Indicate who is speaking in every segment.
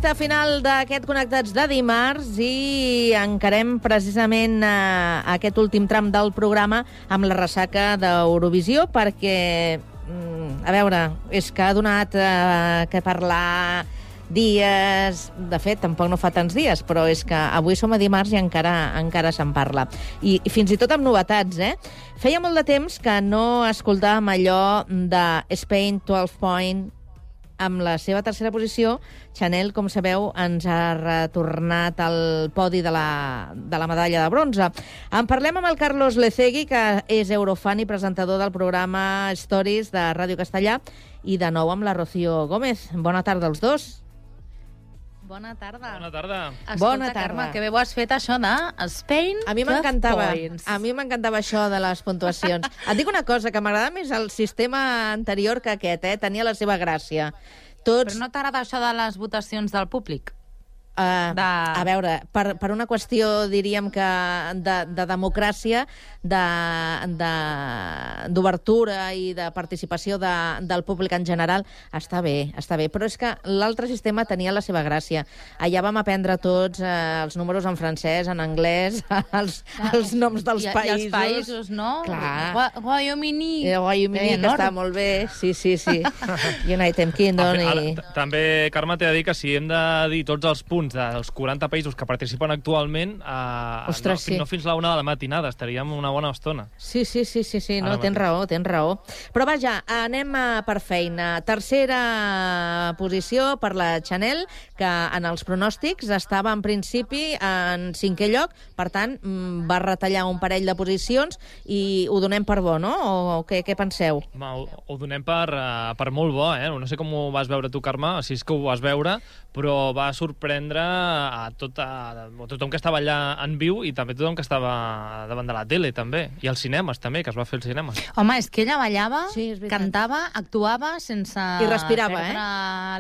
Speaker 1: recta final d'aquest Connectats de dimarts i encarem precisament aquest últim tram del programa amb la ressaca d'Eurovisió perquè, a veure, és que ha donat que parlar dies... De fet, tampoc no fa tants dies, però és que avui som a dimarts i encara se'n parla. I fins i tot amb novetats, Feia molt de temps que no escoltàvem allò de Spain 12 Point. Amb la seva tercera posició, Chanel, com sabeu, ens ha retornat al podi de la medalla de bronze. En parlem amb el Carlos Lecegui, que és eurofan i presentador del programa Stories de Ràdio Castellà, i de nou amb la Rocío Gómez. Bona tarda als dos.
Speaker 2: Bona tarda.
Speaker 3: Bona tarda.
Speaker 2: Escolta,
Speaker 1: Bona tarda.
Speaker 2: Carme, que bé ho has fet això de Spain
Speaker 1: A mi m'encantava.
Speaker 2: Points.
Speaker 1: A mi m'encantava això de les puntuacions. Et dic una cosa, que m'agrada més el sistema anterior que aquest, Tenia la seva gràcia. Tots...
Speaker 2: Però no t'agrada això de les votacions del públic?
Speaker 1: A veure, per una qüestió, diríem que de democràcia, d'obertura i de participació del públic en general, està bé. Però és que l'altre sistema tenia la seva gràcia. Allà vam aprendre tots els números en francès, en anglès, els noms dels països.
Speaker 2: I els països, no?
Speaker 1: Clar.
Speaker 2: Guaiomini.
Speaker 1: Guaiomini, que està molt bé. Sí. United Kingdom i...
Speaker 3: També, Carme, t'he de dir que si hem de dir tots els punts dels 40 països que participen actualment,
Speaker 1: Ostres, sí.
Speaker 3: No fins la 1 de la matinada, estaríem una bona estona.
Speaker 1: Sí, no, tens raó. Però vaja, anem per feina. Tercera posició per la Chanel, que en els pronòstics estava en principi en 5è lloc, per tant, va retallar un parell de posicions i ho donem per bo, no? O què penseu?
Speaker 3: Ho donem per molt bo, No sé com ho vas veure tu, Carme, si és que ho vas veure, però va sorprendre a tothom que estava allà en viu i també tothom que estava davant de la tele, també. I als cinemes, també, que es va fer als cinemes.
Speaker 2: Home, és que ella ballava,
Speaker 1: sí,
Speaker 2: cantava, actuava sense...
Speaker 1: I respirava,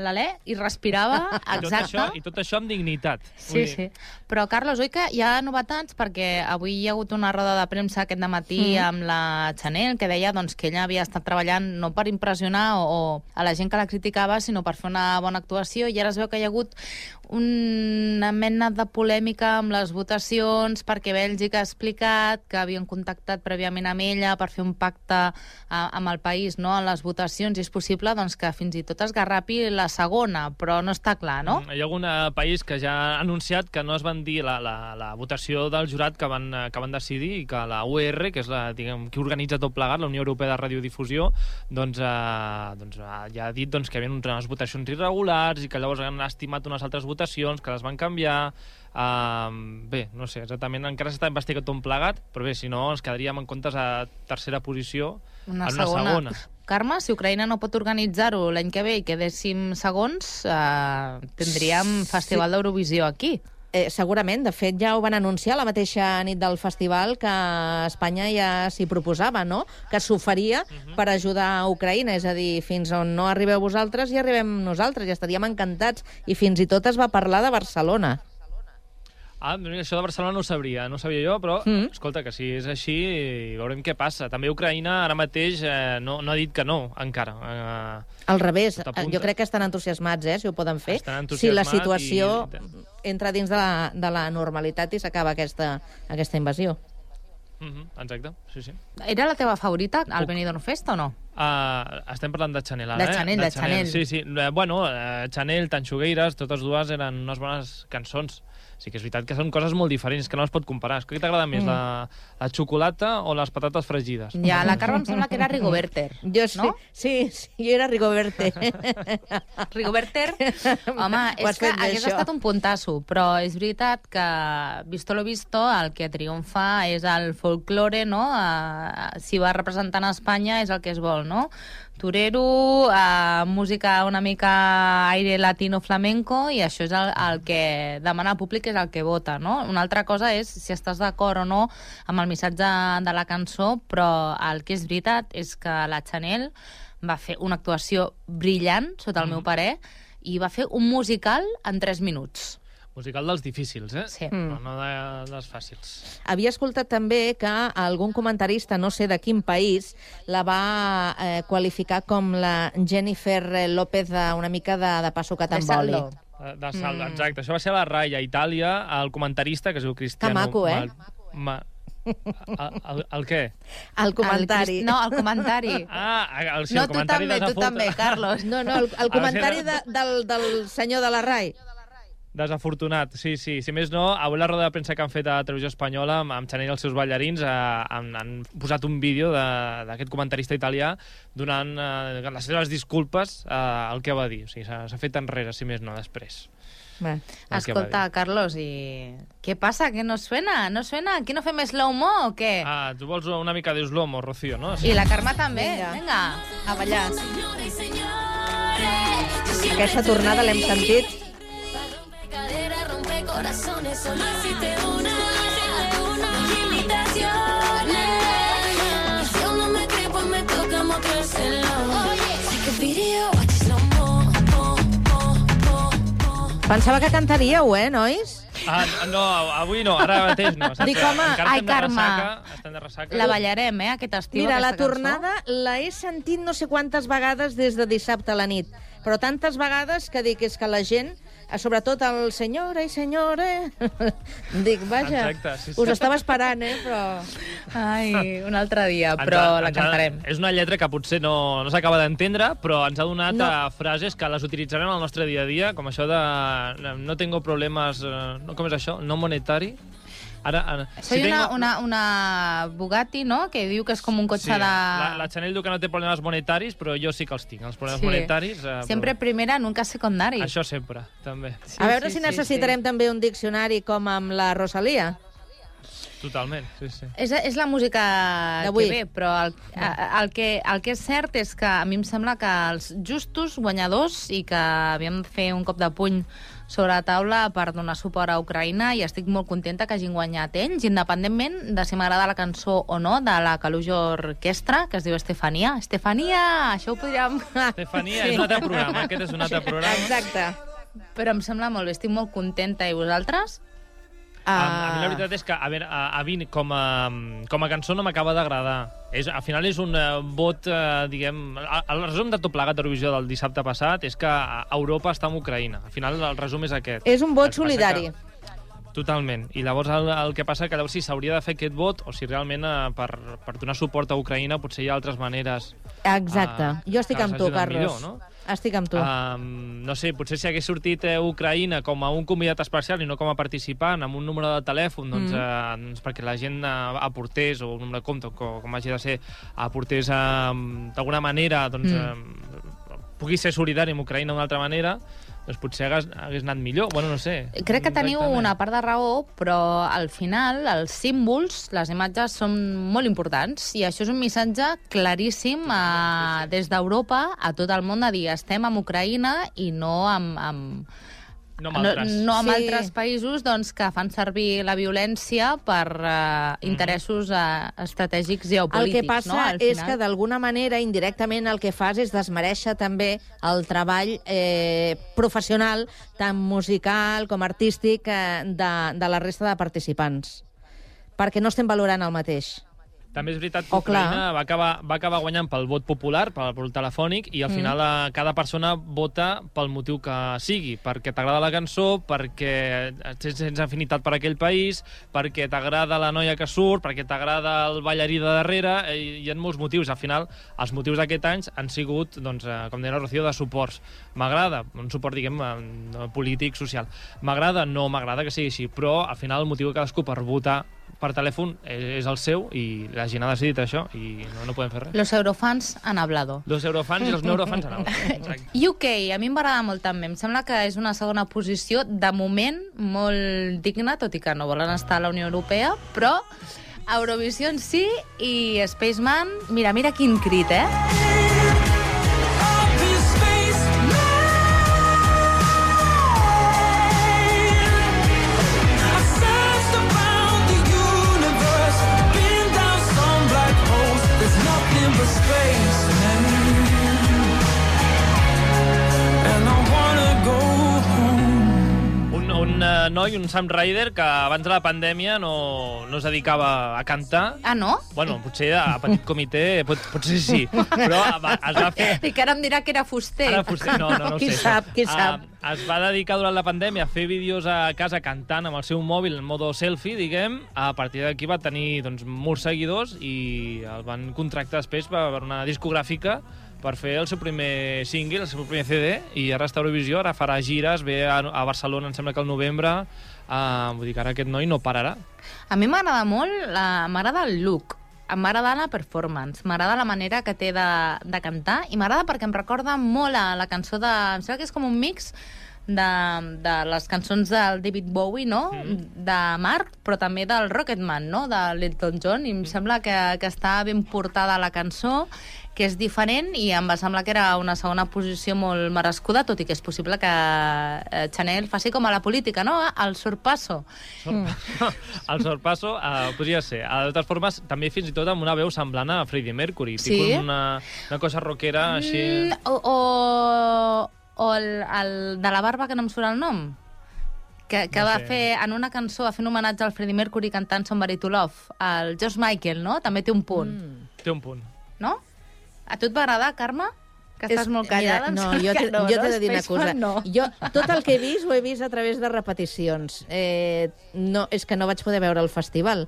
Speaker 2: l'alè, i respirava, exacte.
Speaker 3: I tot això amb dignitat.
Speaker 2: Sí. Però, Carlos, oi que hi ha novetats? Perquè avui hi ha hagut una roda de premsa aquest dematí amb la Chanel, que deia que ella havia estat treballant no per impressionar o a la gent que la criticava, sinó per fer una bona actuació, i ara es veu que hi ha hagut una mena de polèmica amb les votacions perquè Bèlgica ha explicat que havien contactat prèviament amb ella per fer un pacte amb el país, no?, en les votacions, i és possible que fins i tot es garrapi la segona, però no està clar, no?
Speaker 3: Hi ha algun país que ja ha anunciat que no es van dir la votació del jurat que van decidir, i que la UR, que és qui organitza tot plegat, la Unió Europea de Radiodifusió, ja ha dit que hi havia unes votacions irregulars i que llavors han estimat unes altres votacions que les van canviar. Bé, no sé, exactament, encara s'està investigat tot plegat, però bé, si no, ens quedaríem en comptes a tercera posició en una segona.
Speaker 2: Carme, si Ucraïna no pot organitzar-ho l'any que ve i quedéssim segons, tindríem Festival d'Eurovisió aquí.
Speaker 1: Segurament, de fet ja ho van anunciar la mateixa nit del festival, que Espanya ja s'hi proposava, no?, que s'oferia per ajudar a Ucraïna, és a dir, fins on no arribeu vosaltres hi arribem nosaltres, i estaríem encantats, i fins i tot es va parlar de Barcelona.
Speaker 3: Això de Barcelona no ho sabia jo, però escolta, que si és així veurem què passa. També Ucraïna ara mateix no ha dit que no, encara.
Speaker 1: Al revés, jo crec que estan entusiasmats, si ho poden fer, si la situació entra dins de la normalitat i s'acaba aquesta invasió.
Speaker 3: Exacte, sí.
Speaker 2: Era la teva favorita, el Benidorm Fest, o no?
Speaker 3: Estem parlant de Chanel ara,
Speaker 2: de Chanel.
Speaker 3: Sí. Bueno, Chanel, Tanxugueires, totes dues eren unes bones cançons. Sí que és veritat que són coses molt diferents, que no les pot comparar. Què t'agrada més, la xocolata o les patates fregides?
Speaker 2: Ja, la Carme em sembla que era Rigoberter.
Speaker 1: Jo sí, no? Sí, jo era Rigoberter.
Speaker 2: Rigoberter? Home, és que hagués estat un puntasso, però és veritat que, visto lo visto, el que triomfa és el folklore, no? Si va representant a Espanya és el que es vol, no? Torero, música una mica aire latino flamenco, i això és el que demana el públic, és el que vota, no? Una altra cosa és si estàs d'acord o no amb el missatge de la cançó, però el que és veritat és que la Chanel va fer una actuació brillant, sota el meu parer, i va fer un musical en 3 minuts.
Speaker 3: Musical dels difícils,
Speaker 2: Sí.
Speaker 3: No dels fàcils.
Speaker 1: Havia escoltat també que algun comentarista, no sé de quin país, la va qualificar com la Jennifer López una mica de passo que t'emboli.
Speaker 3: De salt, exacte. Això va ser a la Rai, a Itàlia, el comentarista, que es diu Cristiano...
Speaker 1: Que maco, eh?
Speaker 3: El què?
Speaker 1: El comentari.
Speaker 2: No, el comentari.
Speaker 3: Sí,
Speaker 2: no,
Speaker 3: el comentari
Speaker 2: tu també, Carlos.
Speaker 1: No, el comentari del senyor de la Rai.
Speaker 3: Desafortunat, sí. Si més no, avui la roda de premsa que han fet a Televisió Espanyola amb Chanel i els seus ballarins han posat un vídeo d'aquest comentarista italià donant les seves disculpes al que va dir. O sigui, s'ha fet enrere, si més no, després.
Speaker 2: Bé. Escolta, Carlos, i què passa? Que no suena? No suena? Aquí no fem slow-mo o què?
Speaker 3: Tu vols una mica de slow-mo, Rocío, no?
Speaker 2: I la Carme també. Vinga, a ballar.
Speaker 1: Aquesta tornada l'hem sentit.
Speaker 4: Corazones, solo existe una invitaciones. Si aún no me creo, pues me toca mostrárselo. Take a video, watch slow mo.
Speaker 1: Pensava que cantaríeu, nois?
Speaker 3: No, avui no, ara mateix no.
Speaker 1: Dic, home,
Speaker 2: ai, Carme,
Speaker 3: estem de ressaca.
Speaker 2: la ballarem, aquest estiu,
Speaker 1: Mira, la
Speaker 2: aquesta
Speaker 1: tornada la he sentit no sé quantes vegades des de dissabte a la nit, però tantes vegades que dic és que la gent, sobretot el senyora i senyora, dic, vaja,
Speaker 3: exacte, sí.
Speaker 1: Us estava esperant, però...
Speaker 2: Ai, un altre dia, però la cantarem.
Speaker 3: És una lletra que potser no s'acaba d'entendre, però ens ha donat frases que les utilitzarem al nostre dia a dia, com això de no tengo problemes... com és això? No monetari?
Speaker 2: Soy una Bugatti, no?, que diu que és com un cotxe de...
Speaker 3: La Chanel diu que no té problemes monetaris, però jo sí que els tinc, els problemes monetaris.
Speaker 2: Sempre primera, nunca secundari.
Speaker 3: Això sempre, també.
Speaker 1: A veure si necessitarem també un diccionari com amb la Rosalia.
Speaker 3: Totalment, sí.
Speaker 2: És la música que ve, però el que és cert és que a mi em sembla que els justos guanyadors i que havíem de fer un cop de puny sobre la taula per donar suport a Ucraïna, i estic molt contenta que hagin guanyat ells, independentment de si m'agrada la cançó o no, de la Calujo Orquestra, que es diu Estefania. Estefania! Això ho podríem...
Speaker 3: Estefania és un altre programa, aquest és un altre programa.
Speaker 1: Exacte.
Speaker 2: Però em sembla molt bé, estic molt contenta. I vosaltres?
Speaker 3: A mi la veritat és que, a mi com a cançó no m'acaba d'agradar. Al final és un vot, diguem... El resum de tot plegat d'Eurovisió del dissabte passat és que Europa està amb Ucraïna. Al final el resum és aquest.
Speaker 1: És un vot solidari.
Speaker 3: Totalment. I llavors el que passa que llavors si s'hauria de fer aquest vot o si realment per donar suport a Ucraïna potser hi ha altres maneres.
Speaker 1: Exacte. Jo estic amb tu, Carlos.
Speaker 3: Millor, no?
Speaker 1: Estic amb tu.
Speaker 3: No sé, potser si hagués sortit Ucraïna com a un convidat especial i no com a participant, amb un número de telèfon, doncs perquè la gent aportés, o un número de compte, com hagi de ser, aportés d'alguna manera, doncs pugui ser solidari amb Ucraïna d'una altra manera, doncs potser hagués anat millor. Bueno, no sé.
Speaker 2: Crec que teniu una part de raó, però al final els símbols, les imatges són molt importants, i això és un missatge claríssim des d'Europa a tot el món de dir estem amb Ucraïna i no amb altres països doncs, que fan servir la violència per interessos estratègics geopolítics.
Speaker 1: El que passa és que d'alguna manera, indirectament, el que fas és desmereixer també el treball professional, tant musical com artístic, de la resta de participants. Perquè no estem valorant el mateix.
Speaker 3: També és veritat que Ucraïna va acabar guanyant pel vot popular, pel telefònic, i al final cada persona vota pel motiu que sigui, perquè t'agrada la cançó, perquè tens afinitat per aquell país, perquè t'agrada la noia que surt, perquè t'agrada el ballarí de darrere, hi ha molts motius. Al final, els motius d'aquest any han sigut, doncs, com deia la Rocío, de suports. M'agrada, un suport, diguem, polític, social. M'agrada, no m'agrada que sigui així, però al final el motiu de cadascú per votar per telèfon és el seu, i la gent ha decidit això i no podem fer res.
Speaker 2: Los eurofans han hablado.
Speaker 3: Los eurofans i els neurofans han hablado.
Speaker 2: UK, a mi em va agradar molt també. Em sembla que és una segona posició, de moment, molt digna, tot i que no volen estar a la Unió Europea, però Eurovisió en sí i Spaceman, mira quin crit,
Speaker 3: un noi, un Sam Ryder, que abans de la pandèmia no es dedicava a cantar.
Speaker 2: Ah, no?
Speaker 3: Bueno, potser a petit comitè, potser sí, però es va fer...
Speaker 2: I que ara em dirà que era fuster.
Speaker 3: Ara fuster, no ho sé.
Speaker 1: Qui sap?
Speaker 3: Es va dedicar durant la pandèmia a fer vídeos a casa cantant amb el seu mòbil en modo selfie, diguem. A partir d'aquí va tenir molts seguidors i el van contractar després per una discogràfica per fer el seu primer single, el seu primer CD, i ara està a Eurovisió, ara farà gires, ve a Barcelona, em sembla que al novembre. Vull dir que ara aquest noi no pararà.
Speaker 2: A mi m'agrada molt, m'agrada el look, m'agrada la performance, m'agrada la manera que té de cantar, i m'agrada perquè em recorda molt a la cançó de... Em sembla que és com un mix de les cançons del David Bowie, no? De Mark, però també del Rocketman, no? De l'Elton John, i em sembla que està ben portada la cançó, que és diferent, i em va semblar que era una segona posició molt merescuda, tot i que és possible que Chanel faci com a la política, no? El sorpasso.
Speaker 3: El sorpasso podria ser. De totes formes, també fins i tot amb una veu semblant a Freddie Mercury.
Speaker 2: Sí?
Speaker 3: Una cosa rockera així...
Speaker 2: O el de la barba, que no em surt el nom, que no va fer, en una cançó, va fer un homenatge al Freddie Mercury cantant Somebody to Love. El George Michael, no? També té un punt.
Speaker 3: Té un punt.
Speaker 2: No? A tu et va agradar, Carme? Que estàs molt callada.
Speaker 1: Mira, jo t'he de dir una cosa. Jo tot el que he vist ho he vist a través de repeticions. És que no vaig poder veure el festival.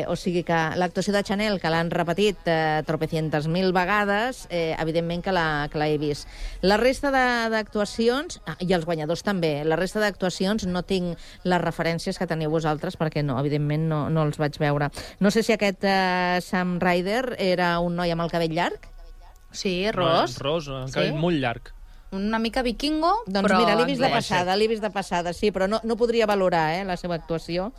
Speaker 1: O sigui que l'actuació de Chanel, que l'han repetit tropecientes mil vegades, evidentment que l'he vist. La resta d'actuacions, i els guanyadors també, la resta d'actuacions no tinc les referències que teniu vosaltres, perquè no, evidentment no els vaig veure. No sé si aquest Sam Ryder era un noi amb el cabell llarg.
Speaker 2: Sí, ros.
Speaker 3: Ros, un cabell molt llarg.
Speaker 2: Una mica vikingo,
Speaker 1: doncs
Speaker 2: però...
Speaker 1: mira, l'he vist de passada, sí, però no podria valorar la seva actuació.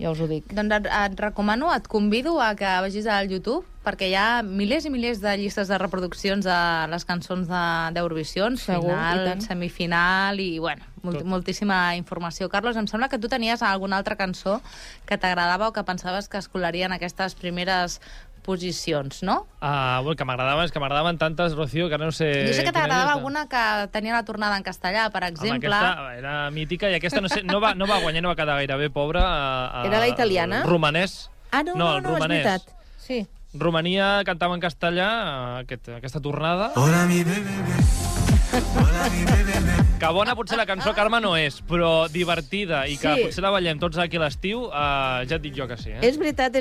Speaker 1: Ja us ho dic.
Speaker 2: Doncs et recomano, et convido a que vagis al YouTube, perquè hi ha milers i milers de llistes de reproduccions de les cançons d'Eurovisió, final, semifinal i, bueno, moltíssima informació. Carlos, em sembla que tu tenies alguna altra cançó que t'agradava o que pensaves que es colaria en aquestes primeres posicions, no?
Speaker 3: Bueno, que m'agradaven tantes, Rocío, que no sé...
Speaker 2: Jo sé que t'agradava alguna que tenia la tornada en castellà, per exemple.
Speaker 3: Home, aquesta era mítica, i aquesta no va guanyar, no va quedar gaire bé, pobra.
Speaker 1: Era la italiana?
Speaker 3: El romanès.
Speaker 1: No, és veritat. Sí.
Speaker 3: Romania cantava en castellà aquesta tornada.
Speaker 5: Hola, mi bebé. Hola, mi bebé.
Speaker 3: Que bona potser la cançó, Carme, no és, però divertida, i que potser la ballem tots aquí a l'estiu, ja et dic jo que sí.
Speaker 1: És veritat.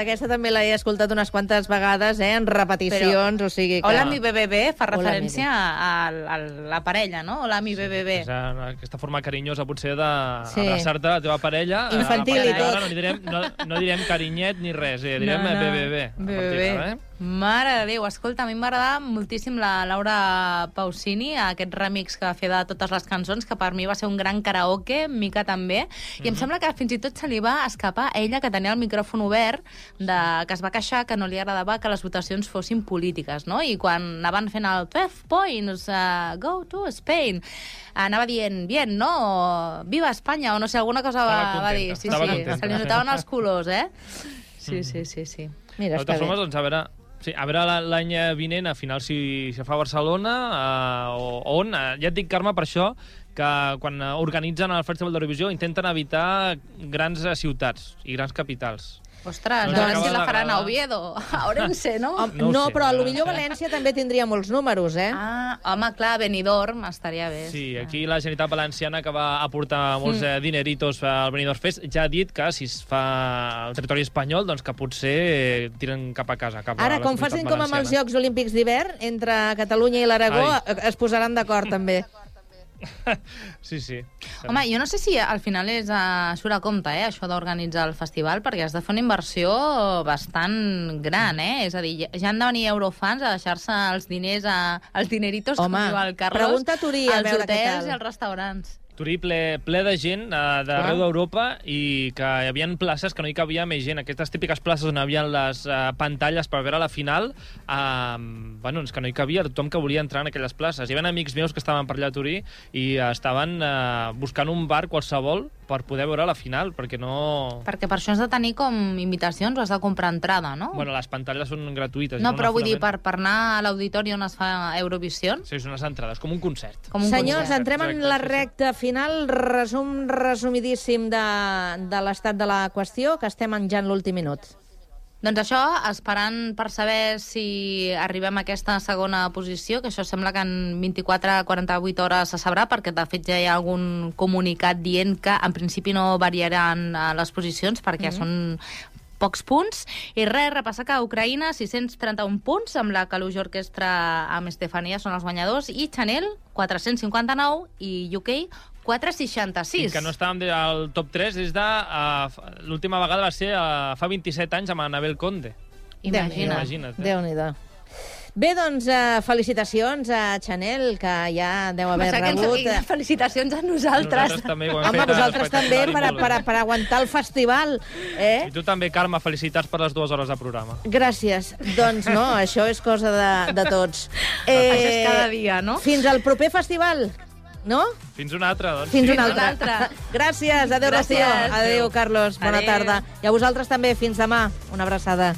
Speaker 1: Aquesta també l'he escoltat unes quantes vegades, en repeticions, o sigui que...
Speaker 2: Hola, mi bebé fa referència a la parella, no? Hola, mi bebé.
Speaker 3: És aquesta forma carinyosa, potser, d'abraçar-te a la teva parella.
Speaker 1: Infantil i tot.
Speaker 3: No direm carinyet ni res, direm bebé.
Speaker 2: Bebé. Mare de Déu, escolta, a mi m'agradava moltíssim la Laura Pausini, aquest remix que va fer de totes les cançons, que per mi va ser un gran karaoke, Mica també, i em sembla que fins i tot se li va escapar a ella, que tenia el micròfon obert, que es va queixar que no li agradava que les votacions fossin polítiques, no? I quan anaven fent el 12 points, go to Spain, anava dient, bien, no? O, viva Espanya, o no sé, alguna cosa va dir. Sí, se li notaven els colors, Sí.
Speaker 1: Mira,
Speaker 3: de totes formes, doncs, a veure l'any vinent, a final, si fa a Barcelona, on. Ja et dic, Carme, per això, que quan organitzen el Festival d'Eurovisió intenten evitar grans ciutats i grans capitals.
Speaker 2: Ostres, a veure si la faran a Oviedo, a Orense, no?
Speaker 1: No, però potser València també tindria molts números,
Speaker 2: Home, clar, Benidorm estaria bé.
Speaker 3: Sí, aquí la Generalitat Valenciana, que va aportar molts dineritos al Benidorm Fest, ja ha dit que si es fa al territori espanyol, doncs que potser tiren cap a casa.
Speaker 1: Ara, com facin com amb els Jocs Olímpics d'hivern, entre Catalunya i l'Aragó, es posaran d'acord també.
Speaker 3: Sí.
Speaker 2: Home, jo no sé si al final surt a compte, això d'organitzar el festival, perquè has de fer una inversió bastant gran, És a dir, ja han de venir eurofans a deixar-se els diners, els dineritos, com diu el Carlos,
Speaker 1: pregunta a Turí, a veure què tal.
Speaker 2: Als hotels i als restaurants.
Speaker 3: Turí ple de gent d'arreu d'Europa, i que hi havia places que no hi cabia més gent. Aquestes típiques places on hi havia les pantalles per veure la final, és que no hi cabia tothom que volia entrar en aquelles places. Hi havia amics meus que estaven per allà a Turí i estaven buscant un bar qualsevol per poder veure la final, perquè no...
Speaker 2: Perquè per això has de tenir com invitacions o has de comprar entrada, no?
Speaker 3: Bueno, les pantalles són gratuïtes.
Speaker 2: No, però vull dir, per anar a l'auditori on es fa Eurovisió...
Speaker 3: Sí, són unes entrades, com un concert.
Speaker 1: Senyors, entrem en la recta final. Resumidíssim de l'estat de la qüestió, que estem enjant l'últim minut.
Speaker 2: Doncs això, esperant per saber si arribem a aquesta segona posició, que això sembla que en 24-48 hores se sabrà, perquè de fet ja hi ha algun comunicat dient que en principi no variaran les posicions, perquè són pocs punts. I res, repassar que a Ucraïna 631 punts, amb la Kalush Orquestra amb Estefania són els guanyadors, i Chanel 459 i UK 466.
Speaker 3: I que no estàvem al top 3 des de... l'última vegada va ser fa 27 anys amb Anabel Conde.
Speaker 2: Imagina't.
Speaker 1: Déu-n'hi-do. Bé, doncs, felicitacions a Chanel, que ja deu haver rebut...
Speaker 2: Felicitacions a nosaltres.
Speaker 3: Nosaltres també ho hem fet.
Speaker 1: Home, vosaltres també, per aguantar el festival.
Speaker 3: I tu també, Carme, felicitats per les 2 hores de programa.
Speaker 1: Gràcies. Doncs no, això és cosa de tots.
Speaker 2: Això és cada dia, no?
Speaker 1: Fins al proper festival, no?
Speaker 3: Fins una altra, doncs.
Speaker 1: Fins una altra. Gràcies, adéu, Rocío. Adéu, Carlos, bona tarda. I a vosaltres també, fins demà. Una abraçada.